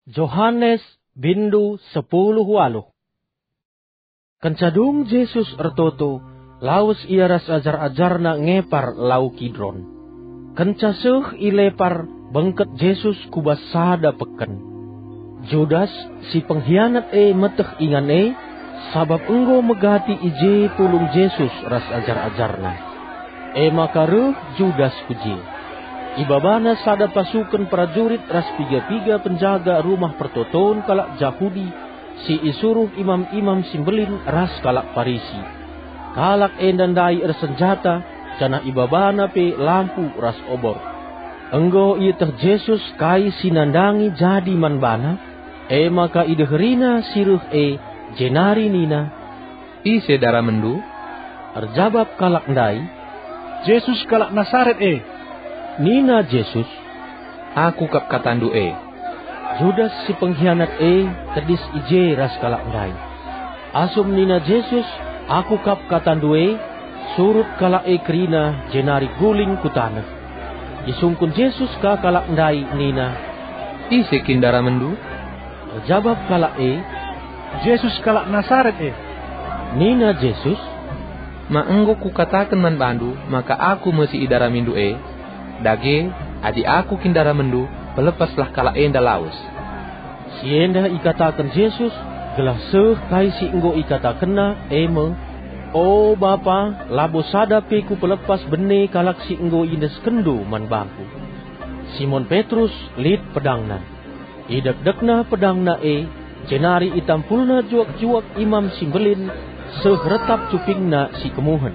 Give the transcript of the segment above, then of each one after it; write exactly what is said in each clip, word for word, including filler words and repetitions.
Johanes, bindu sepuluh waluh. Kenca dung Jesus ertoto, lawes ia ras ajar-ajarNa ngepar Lau Kidron. Kenca seh i lepar, bengket Jesus ku bas sada peken. Judas, si penghianat e, meteh ingan e, sabap enggo megati i je pulung Jesus ras ajar-ajarNa. E maka reh Judas ku je. Ibabana sada pasuken perajurit ras piga-piga penjaga Rumah Pertoton kalak Jahudi si isuruh imam-imam si mbelin ras kalak Parisi. Kalak enda ndai ersenjata, janah ibabana pe lampu ras obor. Enggo ieteh Jesus kai si nandangi jadi man bana, e maka ideherina si reh e, jenari nina, "Ise daramenndu?" Erjabap kalak ndai, "Jesus kalak Nasaret e." Nina Jesus, "Aku kap katandu e." Judas si penghianat e tedis i je ras kalak ndai. Asum nina Jesus, "Aku kap katandu e," surut kalak e kerina jenari guling ku taneh. Isungkun Jesus ka kalak ndai nina, "Ise kin daramenndu?" Erjabap kalak e, "Jesus kalak Nasaret e." Nina Jesus, "Ma enggo kukataken man bandu maka Aku me si idaramindu e? Dage, adi Aku kin daramenndu, pelepaslah kalak enda lawes." Si enda ikataken Jesus gelah seh kai si enggo ikatakenNa, e me, "O Bapa, labo sada pe Kupelepas bene kalak si enggo iendeskenNdu man bangKu." Simon Petrus lit pedangna. Idekdekna pedangna e, jenari itampulna juak-juak imam si mbelin seh retap cupingna si kemuhen.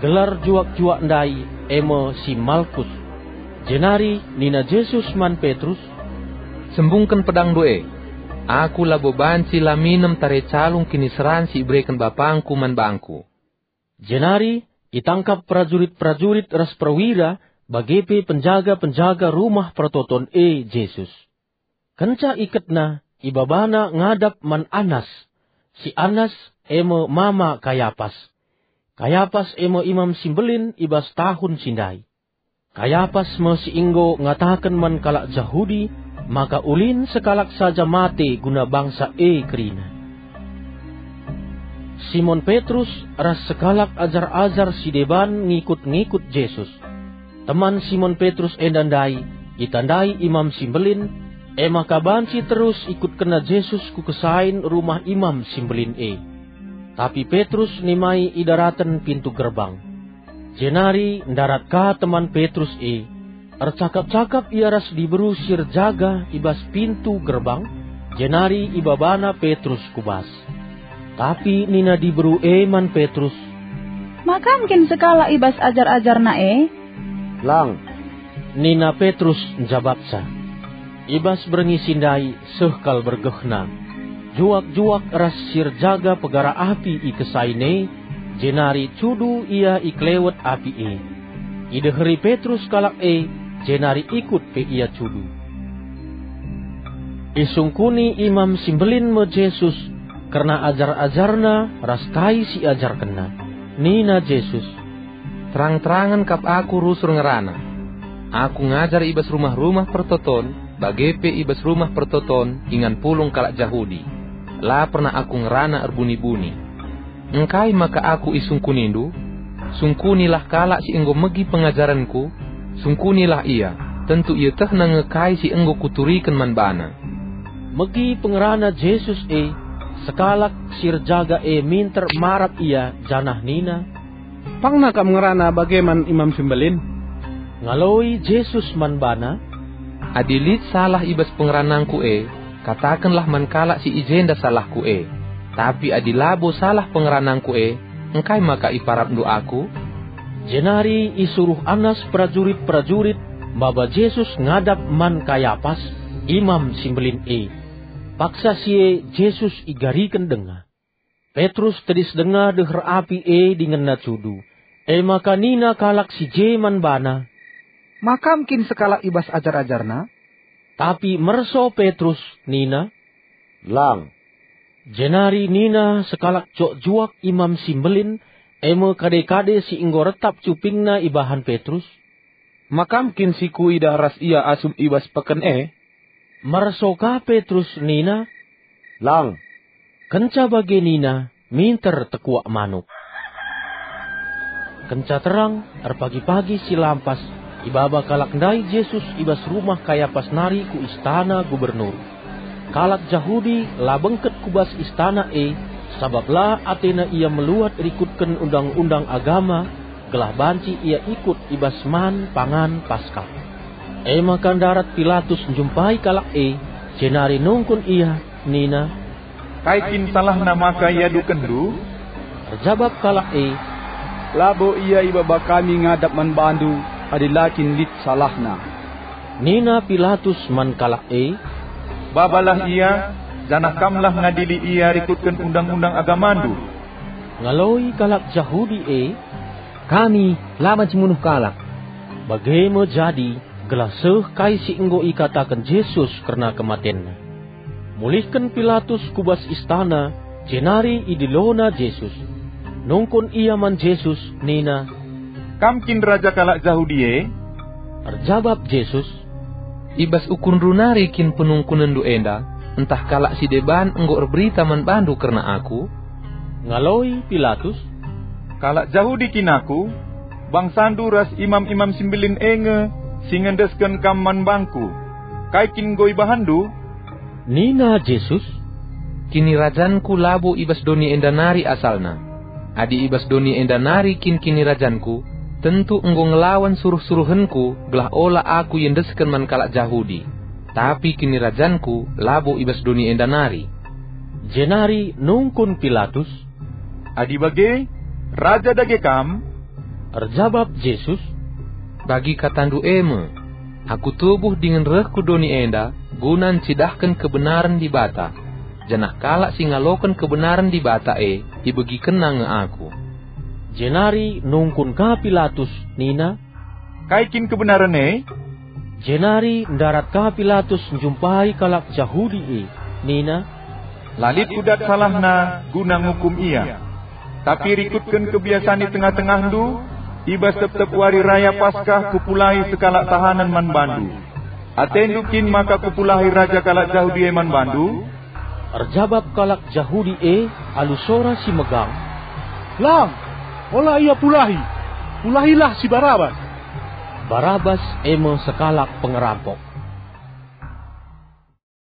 Gelar juak-juak ndai e me si Malkus. Jenari nina Jesus man Petrus, "Sembungken pedangndu e. Aku labo banci la minem tare calung kiniseran si ibereken BapangKu man bangKu." Jenari itangkap perajurit-perajurit ras perwira, bage pe penjaga-penjaga Rumah Pertoton e Jesus. Kenca iketna, ibabana ngadap man Anas. Si Anas e me mama Kayapas. Kayapas e me imam si mbelin i bas tahun si ndai. Kayapas me si enggo ngataken man kalak Jahudi maka ulin sekalak saja mate guna bangsa e kerina. Simon Petrus ras sekalak ajar-ajar si deban ngikut-ngikut Jesus. Teman Simon Petrus enda ndai itandai imam si mbelin, e maka banci terus ikutkenna Jesus ku kesain rumah imam si mbelin e. Tapi Petrus nimai i daraten pintu gerbang. Jenari ndarat ka teman Petrus e. Ercakap-cakap ia ras diberu si erjaga i bas pintu gerbang, jenari ibabana Petrus ku bas. Tapi nina diberu e man Petrus, "Ma kam kin sekalak i bas ajar-ajarNa e?" "Lang," nina Petrus njabapsa. I bas berngi si ndai seh kal bergehna. Juak-juak ras si erjaga pegara api i kesain e, jenari cudu ia i kelewet api e. Ideheri Petrus kalak e, jenari ikut pe ia cudu. Isungkuni imam si mbelin me Jesus kerna ajar-ajarNa ras kai si iajarkenNa. Nina Jesus, "Terang-terangen kap Aku rusur ngerana. Aku ngajar i bas rumah-rumah pertoton, bage pe i bas rumah pertoton ingan pulung kalak Jahudi. La pernah Aku ngerana erbuni-buni. Engkai maka Aku isungkunindu? Sungkunilah kalak si enggo megi pengajarenKu, sungkunilah ia, tentu ietehna nge kai si enggo Kuturiken man bana." Megi pengerana Jesus e, sekalak si erjaga e minter marap ia janah nina, "Pangna kam ngerana bage man imam si mbelin?" Ngaloi Jesus man bana, "Adi lit salah i bas pengeranangKu e, katakenlah man kalak si i jenda salahKu e. Tapi adi labo salah pengeranangKu e, engkai maka iparapndu Aku?" Jenari isuruh Anas perajurit-perajurit maba Jesus ngadap man Kayapas, imam si mbelin e. Paksa si e Jesus igariken denga. Petrus tedis denga deher api e dingen cudu. E maka nina kalak si je man bana, "Ma kam kin sekalak i bas ajar-ajarNa?" Tapi merso Petrus nina, "Lang." Jenari nina sekalak juak-juak imam si mbelin, e me kade-kade si enggo retap cupingna ibahan Petrus, "Ma kam kin si kuidah ras ia asum i bas peken e?" Merso ka Petrus nina, "Lang." Kenca bage nina, "Minter tekuak manuk." Kenca terang, erpagi-pagi si lampas, ibaba kalak ndai Jesus i bas rumah Kayapas nari ku istana gubernur. Kalak Jahudi la bengket ku bas istana e, sabap la atena ia meluat rikutken undang-undang agama, gelah banci ia ikut i bas man pangan Paskah. E maka ndarat Pilatus njumpai kalak e, jenari nungkun ia, nina, "Kai kin salahna maka iadukenndu?" Erjabap kalak e, "Labo ia ibaba kami ngadap man bandu adi la kin lit salahna." Nina Pilatus man kalak e, "Babalah ia, janah kamlah ngadili ia rikutken undang-undang agamandu." Ngaloi kalak Jahudi e, "Kami la banci munuh kalak." Bage me jadi, gelah seh kai si enggo ikataken Jesus kerna kematenNa. Mulihken Pilatus ku bas istana, jenari idilona Jesus. Nungkun ia man Jesus nina, "Kam kin raja kalak Jahudi e?" Erjabap Jesus, "I bas ukurndu nari kin penungkunenndu enda, ntah kalak si deban enggo erberita man bandu kerna Aku?" Ngaloi Pilatus, "Kalak Jahudi kin Aku? Bangsandu ras imam-imam si mbelin e nge si ngendesken Kam man bangku. Kai kin enggo ibahanndu?" Nina Jesus, "KinirajanKu labo i bas doni enda nari asalna. Adi i bas doni enda nari kin KinirajanKu, tentu enggo ngelawan suruh-suruhenKu gelah ola Aku iendesken man kalak Jahudi. Tapi KinirajanKu labo i bas doni enda nari." Jenari nungkun Pilatus, "Adi bage, raja dage Kam?" Erjabap Jesus, "Bagi katandu e me. Aku tubuh dingen reh ku doni enda guna ncidahken kebenaren Dibata, janah kalak si ngaloken kebenaren Dibata e ibegikenna nge Aku." Jenari nungkun ka Pilatus nina, "Kai kin kebenaren e?" Jenari ndarat ka Pilatus njumpai kalak Jahudi e, nina, "La lit kudat salahna guna ngukum ia. Tapi rikutken kebiasan i tengah-tengahndu, i bas tep-tep wari raya Paskah kupulahi sekalak tahanen man bandu. Atendu kin maka kupulahi raja kalak Jahudi e man bandu?" Erjabap kalak Jahudi e alu sora si megang, "Lang! Ola ia pulahi! Pulahilah si Barabas!" Barabas e me sekalak pengerampok.